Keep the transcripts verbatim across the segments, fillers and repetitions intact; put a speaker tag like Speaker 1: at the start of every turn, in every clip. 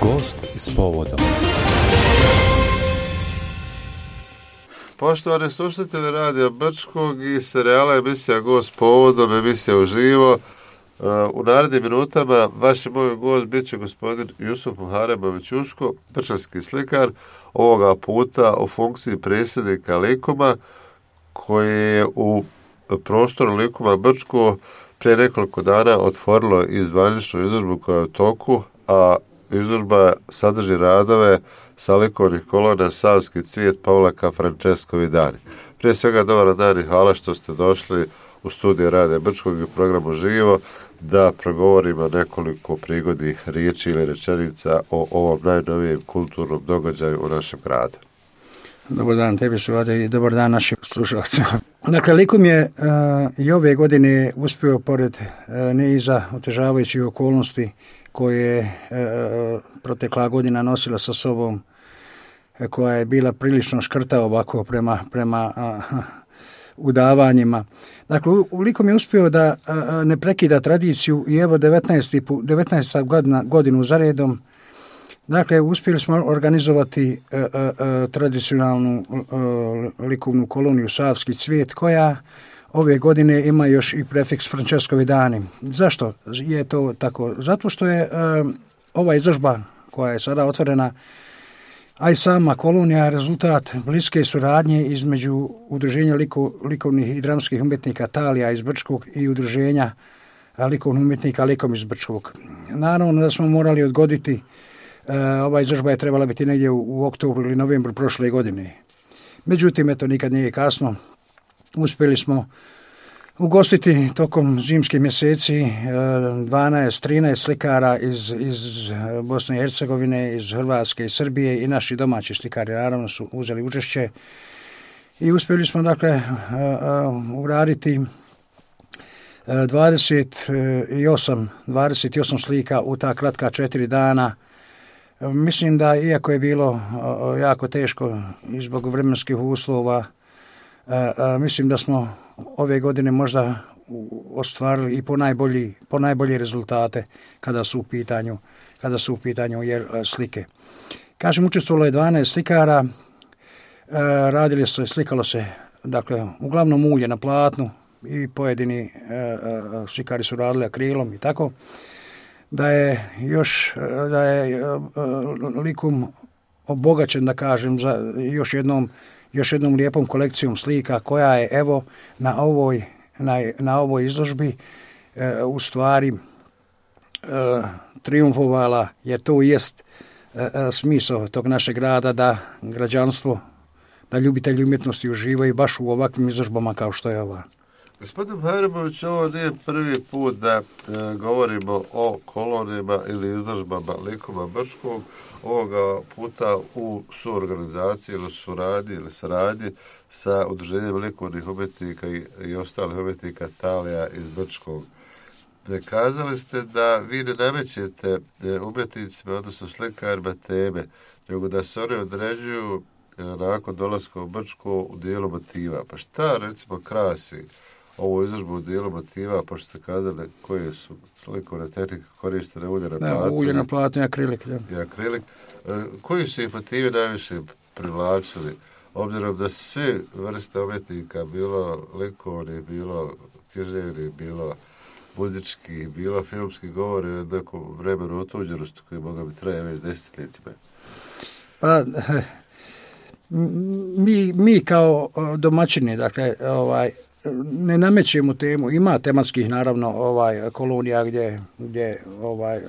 Speaker 1: Gost i s povodom.
Speaker 2: Poštovani slušatelji Radija Brčkog i serijala emisija Gost s povodom, emisija uživo. U narednim minutama vaš i moj gost bit će gospodin Jusuf Muharemović Uško, brčanski slikar, ovoga puta u funkciji predsjednika Likuma, koji je u prostoru Likuma Brčko prije nekoliko dana otvorilo i zvaničnu izložbu koja je u toku, a izložba sadrži radove sa likovnih kolona Savski cvijet Pavlaka Francesco Vidani. Prije svega dobar dan i hvala što ste došli u studiju Radija Brčkog i programu Živo da progovorimo nekoliko prigodnih riječi ili rečenica o ovom najnovijem kulturnom događaju u našem gradu.
Speaker 3: Dobar dan tebi Šuvade i dobar dan našim slušalcima. Dakle, Likum je uh, i ove godine uspio pored uh, niza otežavajućih okolnosti koje je uh, protekla godina nosila sa sobom, uh, koja je bila prilično škrta ovako prema, prema uh, udavanjima. Dakle, u Likum je uspio da uh, ne prekida tradiciju i evo devetnaesta godina, godinu za redom. Dakle, uspjeli smo organizovati uh, uh, tradicionalnu uh, likovnu koloniju Savski cvijet, koja ove godine ima još i prefiks Francesco Vidani. Zašto je to tako? Zato što je uh, ova izložba koja je sada otvorena, a i sama kolonija, rezultat bliske suradnje između Udruženja liko, likovnih i dramskih umjetnika Talija iz Brčkog i Udruženja likovnih umjetnika Likom iz Brčkog. Naravno da smo morali odgoditi. Uh, ova izložba je trebala biti negdje u, u oktobru ili novembru prošle godine. Međutim, eto, nikad nije kasno. Uspjeli smo ugostiti tokom zimskih mjeseci uh, dvanaest trinaest slikara iz, iz Bosne i Hercegovine, iz Hrvatske i Srbije i naši domaći slikari naravno su uzeli učešće. I uspjeli smo, dakle, uh, uh, uraditi uh, dvadeset osam slika u ta kratka četiri dana. Mislim da, iako je bilo jako teško i zbog vremenskih uslova, mislim da smo ove godine možda ostvarili i po najbolji, po najbolje rezultate kada su u pitanju, kada su u pitanju slike. Kažem, učestvovalo je dvanaest slikara, radili se, slikalo se, dakle, uglavnom ulje na platnu i pojedini slikari su radili akrilom i tako. Da je još da je Likum obogaćen, da kažem, za još jednom još jednom lijepom kolekcijom slika koja je evo na ovoj na, na ovoj izložbi e, u stvari e, triumfovala, jer to jest e, smisao tog našeg grada, da građanstvo, da ljubitelji umjetnosti uživaju baš u ovakvim izložbama kao što je ova.
Speaker 2: Gospodin Muharemović, ovo nije prvi put da e, govorimo o kolonijama ili izložbama Likuma Brčkog, ovoga puta u suorganizaciji ili suradnji ili saradnji sa Udruženjem likovnih umjetnika i, i ostalih umjetnika Talija iz Brčkog. Kazali ste da vi ne namećete umjetnicima, odnosno slikarima teme, nego da se oni određuju e, nakon dolaska u Brčko u dijelu motiva. Pa šta, recimo, krasi ovu izložbu u dijelu motiva, pošto ste kazali koje su slikovne tehnike koristene, ulje na platnu.
Speaker 3: Ulje na platnu i akrilik. Ja.
Speaker 2: I akrilik. Koji su ih motivi najviše privlačili? Obzirom da sve vrste umjetnika, bilo likovni, bilo književni, bilo muzički, bilo filmski, govori o nekom vremenu otuđenosti koji moga bi traje već desetljećima.
Speaker 3: Pa, mi, mi kao domaćini, dakle, ovaj, ne namećemo temu, ima tematskih naravno ovaj kolonija gdje, gdje ovaj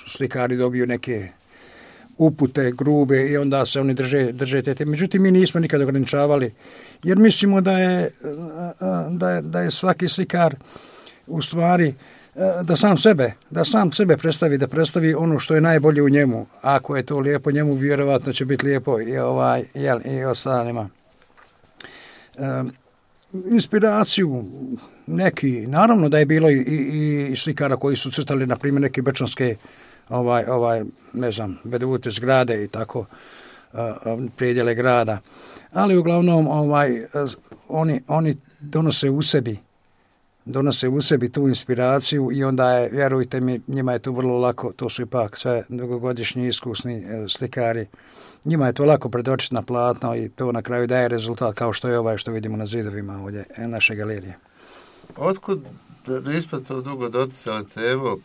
Speaker 3: slikari dobiju neke upute grube i onda se oni drže, drže te teme. Međutim, mi nismo nikad ograničavali, jer mislimo da je, da je, da je svaki slikar u stvari da sam sebe, da sam sebe predstavi, da predstavi ono što je najbolje u njemu. Ako je to lijepo njemu, vjerovatno će biti lijepo i ovaj jel, i ostalima. Um, inspiraciju neki, naravno da je bilo i, i, i slikara koji su crtali, na primjer, neke brčanske ovaj, ovaj, ne znam, vedute zgrade i tako, uh, predjele grada. Ali uglavnom ovaj, oni, oni donose u sebi donose u sebi tu inspiraciju i onda je, vjerujte mi, njima je to vrlo lako, to su ipak sve dugogodišnji iskusni slikari, njima je to lako predočiti na platno i to na kraju daje rezultat kao što je ovaj što vidimo na zidovima ovdje naše galerije.
Speaker 2: Otkud, nismo to dugo doticali temu,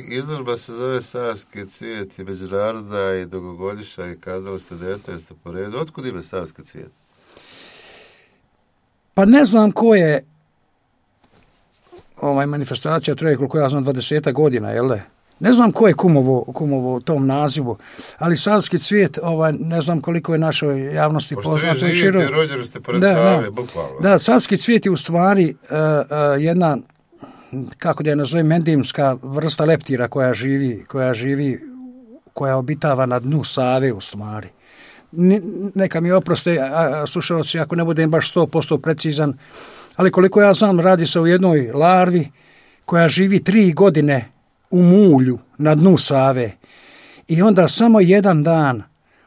Speaker 2: izložba se zove Savski cvijet i međunarodna i dugogodišnja i kazali ste devetnaesta po redu. Otkud ime Savski cvijet?
Speaker 3: Pa ne znam ko je ovaj manifestacija traje koliko ja znam dvadeset godina, jel da? Ne znam ko je kumovo, kumovo tom nazivu, ali Savski cvijet, ovaj, ne znam koliko je našoj javnosti poznato.
Speaker 2: Pošto vi živite, rođeni ste pored Save, bukvalno.
Speaker 3: Da, Savski cvijet je u stvari uh, uh, jedna, kako da je nazovem, endemska vrsta leptira koja živi, koja živi, koja obitava na dnu Save u stvari. Neka mi oproste slušalci ako ne budem baš sto posto precizan, ali koliko ja znam radi se o jednoj larvi koja živi tri godine u mulju na dnu Save i onda samo jedan dan,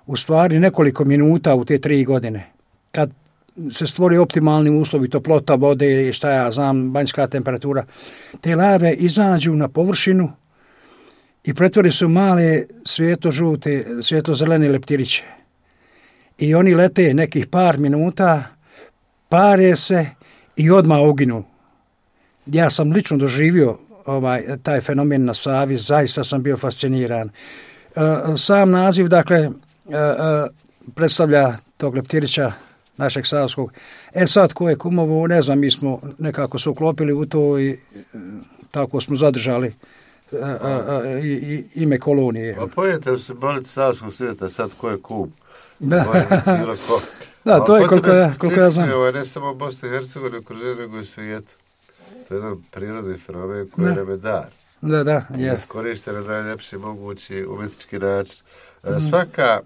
Speaker 3: u stvari nekoliko minuta u te tri godine, kad se stvori optimalni uslovi, toplota vode i šta ja znam, banjska temperatura, te larve izađu na površinu i pretvore se u male svijetlo-žute, svijetlo-zelene leptiriće. I oni lete nekih par minuta, pare se i odmah uginu. Ja sam lično doživio ovaj, taj fenomen na Savi, zaista sam bio fasciniran. E, sam naziv, dakle, e, e, predstavlja tog leptirića našeg savskog. E sad, ko je kumovo, ne znam, mi smo nekako se uklopili u to i e, tako smo zadržali e, e, e, i, ime kolonije.
Speaker 2: Pa pojete se boliti savskog svijeta, sad ko je kum?
Speaker 3: Da, da to je koliko ja, koliko ja znam.
Speaker 2: Ovo je ne samo Bosna i Hercegovina, okruženje, nego i svijetu. To je jedan prirodni fenomen koji nam je dar.
Speaker 3: Da, da, je.
Speaker 2: Iskorište na najljepši mogući umjetnički način. Mm. Svaka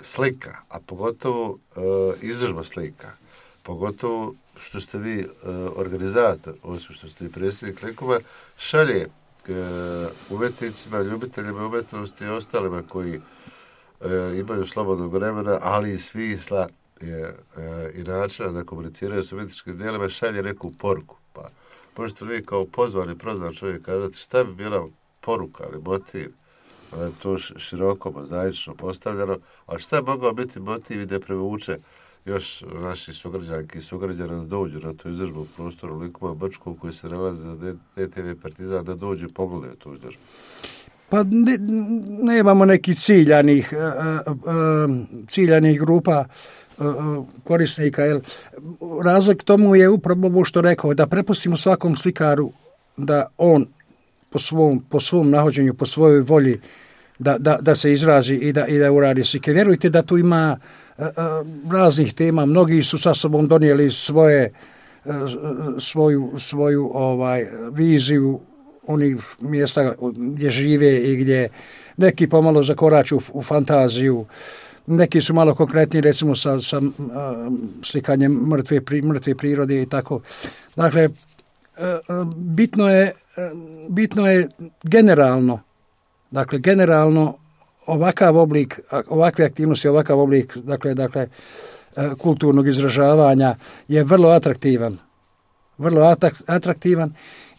Speaker 2: slika, a pogotovo uh, izložba slika, pogotovo što ste vi uh, organizator, osim što ste i predsjednik likova, šalje uh, umjetnicima, ljubiteljima umjetnosti i ostalima koji uh, imaju slobodnog vremena, ali i smisla je, uh, i načina da komuniciraju s umjetničkim djelima, šalje neku poruku. Pa možete vi kao pozvani, prozvan čovjek kažete šta bi bila poruka ili motiv, da je to široko, mozaično postavljeno, ali šta je mogao biti motiv i da prevuče još naši sugrađanki i sugrađana da dođu na tu izložbu u prostoru Likova Brčkog koji se nalazi za D T V Partizan, da dođu i pogledaju tu izložbu?
Speaker 3: Pa ne, nemamo nekih ciljanih, uh, uh, ciljanih grupa uh, korisnika. Jel? Razlog tomu je upravo ovo što rekao, da prepustimo svakom slikaru da on po svom, po svom nahođenju, po svojoj volji da, da, da se izrazi i da, i da uradi slike. Vjerujte da tu ima uh, uh, raznih tema, mnogi su sa sobom donijeli svoje, uh, svoju, svoju ovaj, viziju onih mjesta gdje žive i gdje neki pomalo zakoraču u, u fantaziju, neki su malo konkretni, recimo sa, sa uh, slikanjem mrtve, pri, mrtve prirode i tako. Dakle, uh, bitno je, uh, bitno je generalno, dakle, generalno ovakav oblik, ovakve aktivnosti, ovakav oblik, dakle, dakle, uh, kulturnog izražavanja je vrlo atraktivan. Vrlo atraktivan.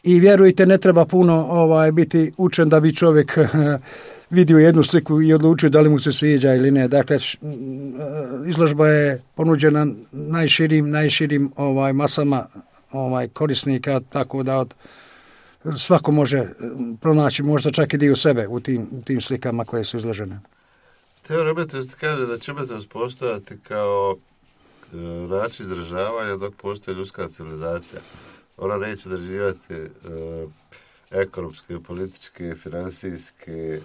Speaker 3: I vjerujte, ne treba puno ovaj, biti učen da bi čovjek vidio jednu sliku i odlučio da li mu se sviđa ili ne. Dakle, izložba je ponuđena najširim, najširim ovaj, masama ovaj, korisnika, tako da od, svako može pronaći možda čak i dio sebe u tim, u tim slikama koje su izložene.
Speaker 2: Teo Robertost kaže da će umjetnost postojati kao e, način izražavanja dok postoji ljudska civilizacija. Ona neće održivati e, ekonomske, političke, financijske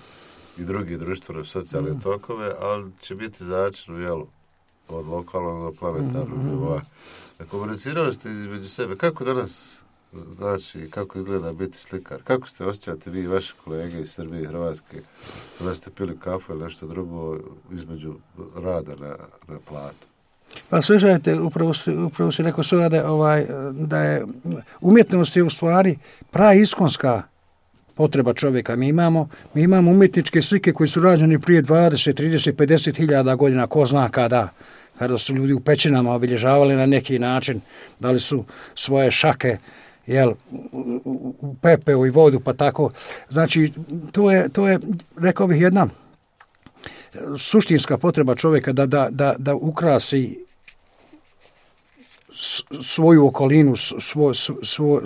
Speaker 2: i drugi društveno socijalne mm. tokove, ali će biti začin u jelu od lokalnog do planetarnog mm. nivoa. Komunicirali ste između sebe. Kako danas znači, kako izgleda biti slikar? Kako ste osjećate vi i vaši kolege iz Srbije i Hrvatske da ste pili kafu ili nešto drugo između rada na, na platu?
Speaker 3: Pa slušajte, upravo si, upravo si rekao sada da, ovaj, da je umjetnost je u stvari praiskonska potreba čovjeka. Mi imamo, mi imamo umjetničke slike koji su rađene prije dvadeset, trideset, pedeset hiljada godina, ko zna kada, kada su ljudi u pećinama obilježavali na neki način, da li su svoje šake jel, u pepeo i vodu, pa tako. Znači, to je, to je rekao bih, jedna suštinska potreba čovjeka da, da, da, da ukrasi svoju okolinu, svo, svo,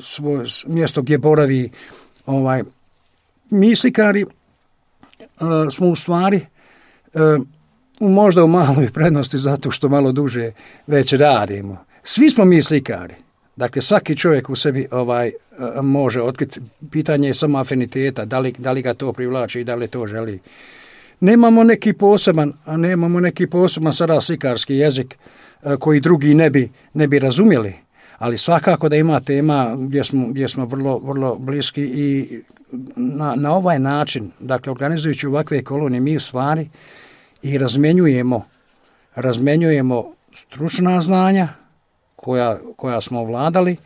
Speaker 3: svo mjesto gdje boravi. Ovaj, mi slikari uh, smo u stvari uh, možda u maloj prednosti zato što malo duže već radimo. Svi smo mi slikari. Dakle, svaki čovjek u sebi ovaj može otkriti. Pitanje je samo afiniteta, da li, da li ga to privlači i da li to želi. Nemamo neki poseban, nemamo neki poseban sada slikarski jezik koji drugi ne bi, ne bi razumjeli, ali svakako da ima tema gdje smo, gdje smo vrlo, vrlo bliski i na, na ovaj način, dakle, organizujući ovakve kolonije, mi u stvari i razmenjujemo, razmenjujemo stručna znanja koja, koja smo ovladali,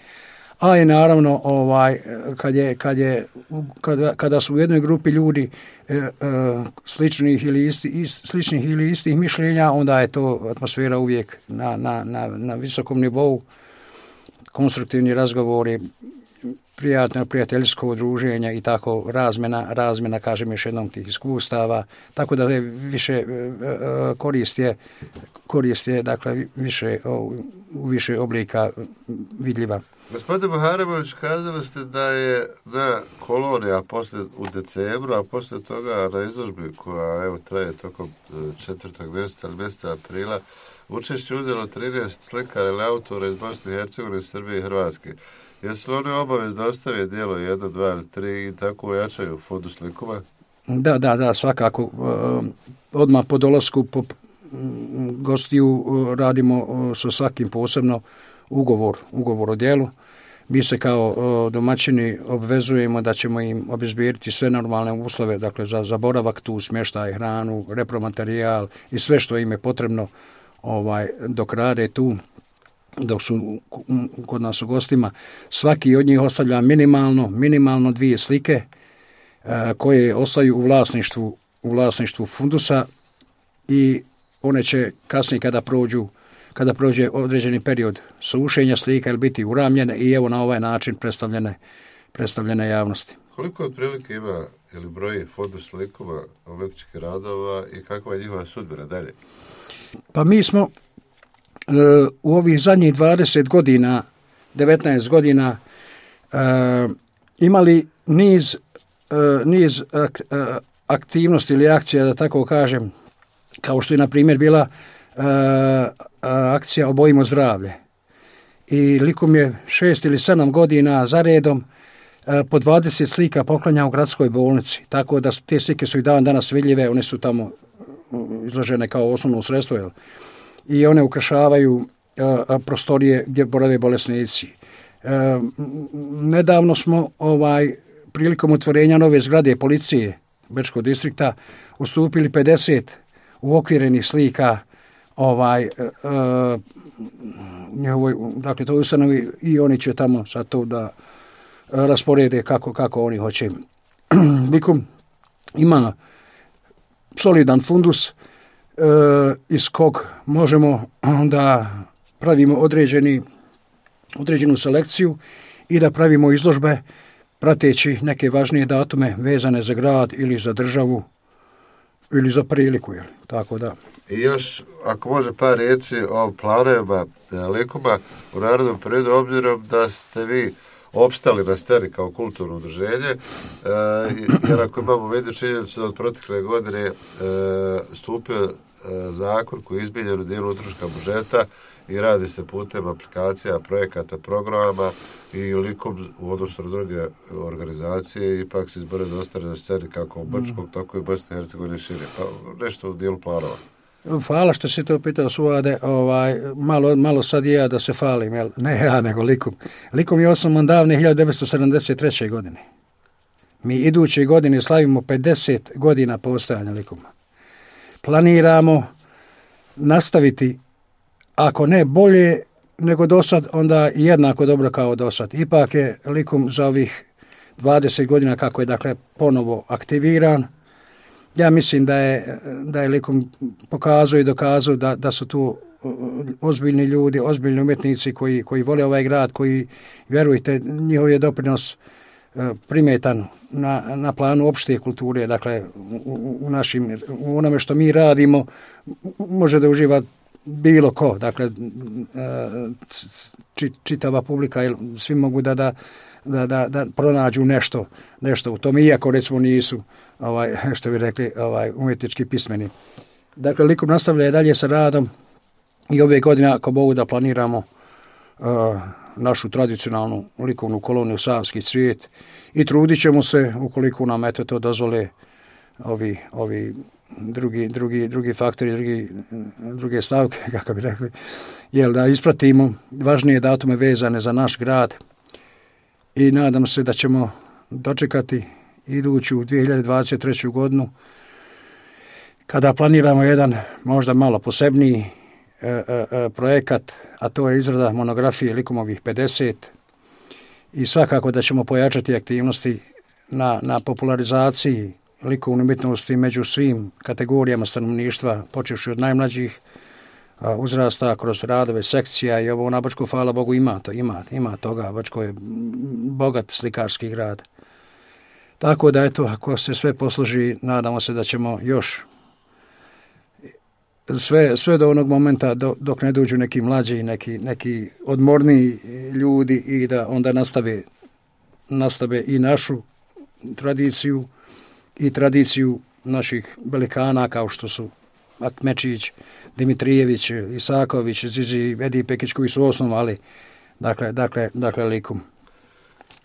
Speaker 3: a i naravno ovaj, kad je, kad je, kada, kada su u jednoj grupi ljudi e, e, sličnih, ili isti, ist, sličnih ili istih mišljenja, onda je to atmosfera uvijek na, na, na, na visokom nivou, konstruktivni razgovori, prijatno prijateljsko udruženje i tako razmjena, razmjena, kažem još jednom, tih iskustava, tako da je više korist je, korist je dakle, više, u više oblika vidljiva.
Speaker 2: Gospodine Muharemović, kazali ste da je na koloniji, a poslije u decembru, a poslije toga na izložbi koja evo traje tokom četvrtog mjeseca ili mjeseca aprila, učešće uzelo trinaest slikara ili autora iz Bosne i Hercegovine, Srbije i Hrvatske. Jesu li oni obavezno ostave dijelo jedno, dva ili tri i tako ojačaju fondu slikova?
Speaker 3: Da, da, da, svakako. Odmah po dolasku po gostiju radimo sa svakim posebno ugovor, ugovor o djelu. Mi se kao domaćini obvezujemo da ćemo im obezbijediti sve normalne uslove, dakle za, za boravak tu, smještaj, hranu, repromaterijal i sve što im je potrebno ovaj, dok rade tu, dok su kod nas u gostima. Svaki od njih ostavlja minimalno, minimalno dvije slike a, koje ostaju u vlasništvu, u vlasništvu fundusa i one će kasnije kada prođu kada prođe određeni period sušenja slika ili biti uramljene i evo na ovaj način predstavljene, predstavljene javnosti.
Speaker 2: Koliko otprilike ima ili broji fondu slikova, umetničkih radova i kakva je njihova sudbina dalje?
Speaker 3: Pa mi smo e, u ovih zadnjih dvadeset godina, devetnaest godina e, imali niz, e, niz ak, e, aktivnosti ili akcija, da tako kažem, kao što je na primjer bila Uh, akcija Obojimo zdravlje. I likom je šest ili sedam godina za redom uh, po dvadeset slika poklanja u gradskoj bolnici. Tako da su, te slike su i dan danas vidljive, one su tamo izložene kao osnovno sredstvo. Jel? I one ukrašavaju uh, prostorije gdje borave bolesnici. Uh, nedavno smo ovaj, prilikom otvorenja nove zgrade policije Bečkog distrikta ustupili pedeset uokvirenih slika ovaj, uh, njihovoj, dakle, to ustanovi i oni će tamo sad to da uh, rasporede kako, kako oni hoće. Likom ima solidan fundus uh, iz kog možemo da pravimo određeni, određenu selekciju i da pravimo izložbe prateći neke važnije datume vezane za grad ili za državu ili za priliku, jel? Tako da.
Speaker 2: I još, ako može par riječi o planovima likuma u narodnom periodu, obzirom da ste vi opstali na sceni kao kulturno udruženje, e, jer ako imamo vidu činjenicu da od protekle godine e, stupio e, zakon koji je izmijenjen u dijelu utroška budžeta i radi se putem aplikacija, projekata, programa i likom u odnosu na druge organizacije ipak se izbore da ostane na sceni kako u Brčkog, tako i Bosne i Hercegovine šire. Pa nešto u dijelu planova.
Speaker 3: Hvala što si to pitao, Suvade. Ovaj, malo, malo sad je ja da se falim, jel? Ne ja, nego Likum. Likum je osnovan davne hiljadu devetsto sedamdeset treće. godine. Mi iduće godine slavimo pedeset godina postojanja Likuma. Planiramo nastaviti, ako ne bolje nego do sad, onda jednako dobro kao do sad. Ipak je Likum za ovih dvadeset godina kako je dakle ponovo aktiviran, ja mislim da je, da je Likum pokazao i dokazao da, da su tu ozbiljni ljudi, ozbiljni umjetnici koji, koji vole ovaj grad, koji, vjerujte, njihov je doprinos primetan na, na planu opšte kulture, dakle u, u, našim, u onome što mi radimo može da uživa bilo ko, dakle čitava publika, svi mogu da, da, da, da, da pronađu nešto, nešto u tome, iako recimo nisu, ovaj, što bi rekli, ovaj, umjetnički pismeni. Dakle, Likum nastavlja dalje sa radom i ove godine, ako Bogu da planiramo uh, našu tradicionalnu likovnu koloniju Savski cvijet i trudit ćemo se, ukoliko nam eto to dozvole ovi, ovi drugi, drugi, drugi faktori, drugi, druge stavke, kako bi rekli, jel da ispratimo važnije datume vezane za naš grad i nadam se da ćemo dočekati iduću dvije hiljade dvadeset treću godinu kada planiramo jedan možda malo posebniji e, e, projekat, a to je izrada monografije Likumovih pedeset i svakako da ćemo pojačati aktivnosti na, na popularizaciji likovne umjetnosti među svim kategorijama stanovništva, počevši od najmlađih uzrasta kroz radove sekcija i ovo na Bačku, hvala Bogu, ima to, ima, ima toga. Bačko je bogat slikarski grad. Tako da, eto, ako se sve posloži, nadamo se da ćemo još sve, sve do onog momenta do, dok ne dođu neki mlađi, neki, neki odmorniji ljudi i da onda nastave, nastave i našu tradiciju i tradiciju naših velikana kao što su Akmečić, Dimitrijević, Isaković, Zizi, Edi Pekić koji su osnovali, dakle, dakle, dakle Likum.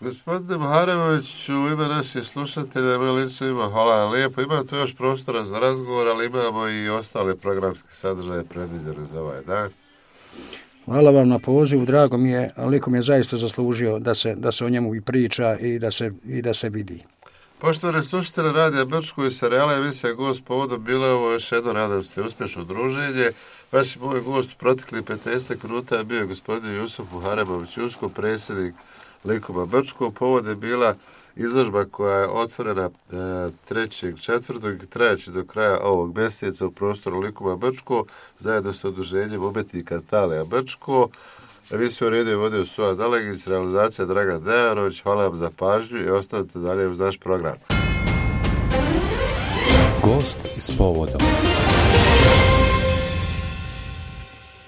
Speaker 2: Gospodine Muharemoviću, u ime naših slušatelja, mi lično hvala vam lijepo. Ima tu još prostora za razgovor, ali imamo i ostale programske sadržaje predviđene za ovaj dan.
Speaker 3: Hvala vam na pozivu, drago mi je, Likum je zaista zaslužio da se, da se o njemu i priča i da se, i da se vidi.
Speaker 2: Poštovani slušatelji Radija Brčko i serijala emisija Gost povodom, bilo je ovo još jedno, nadam se, uspješno druženje. Vaš moj gost u proteklih petnaest minuta je bio gospodin Jusuf Muharemović Usko, predsjednik Likuma Brčko. Povod je bila izložba koja je otvorena trećeg četvrtog i trajaće do kraja ovog mjeseca u prostoru Likuma Brčko zajedno sa udruženjem umjetnika Talija Brčko. Emisiju redio je vodio Suha Dalegić, realizacija Dragan Dejanović. Hvala vam za pažnju i ostanite dalje uz naš program.
Speaker 1: Gost s povodom.